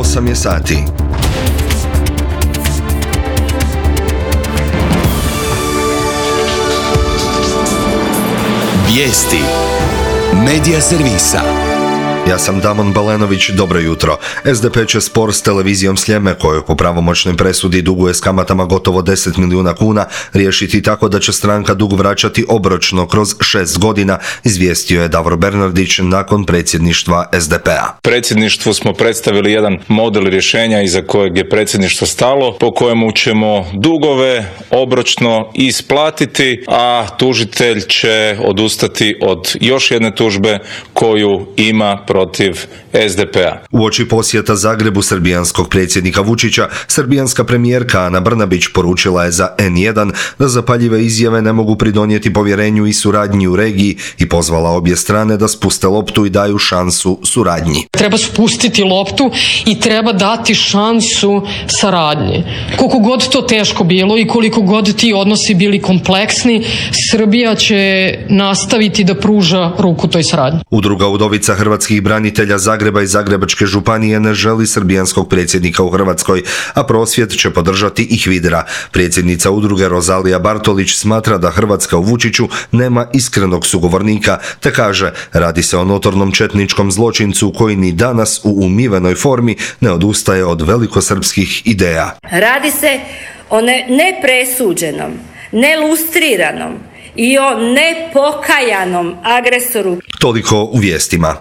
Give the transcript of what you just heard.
8 je sati. Vijesti Medija servisa. Ja sam Damon Balenović, dobro jutro. SDP će spor s televizijom Sljeme, koju po pravomoćnoj presudi duguje s kamatama gotovo 10 milijuna kuna, riješiti tako da će stranka dug vraćati obročno kroz 6 godina, izvijestio je Davor Bernardić nakon predsjedništva SDP-a. Predsjedništvu smo predstavili jedan model rješenja iza kojeg je predsjedništvo stalo, po kojemu ćemo dugove obročno isplatiti, a tužitelj će odustati od još jedne tužbe koju ima protiv SDP-a. Uoči posjeta Zagrebu srbijanskog predsjednika Vučića, srbijanska premijerka Ana Brnabić poručila je za N1 da zapaljive izjave ne mogu pridonijeti povjerenju i suradnji u regiji i pozvala obje strane da spuste loptu i daju šansu suradnji. Treba spustiti loptu i treba dati šansu saradnji. Koliko god to teško bilo i koliko god ti odnosi bili kompleksni, Srbija će nastaviti da pruža ruku toj saradnji. Udruga Udovica hrvatskih branitelja Zagreba i Zagrebačke županije ne želi srbijanskog predsjednika u Hrvatskoj, a prosvjed će podržati i HVIDRA. Predsjednica udruge Rozalija Bartolić smatra da Hrvatska u Vučiću nema iskrenog sugovornika, te kaže, radi se o notornom četničkom zločincu koji ni danas u umivenoj formi ne odustaje od velikosrpskih ideja. Radi se o nepresuđenom, nelustriranom i o nepokajanom agresoru. Toliko u vijestima.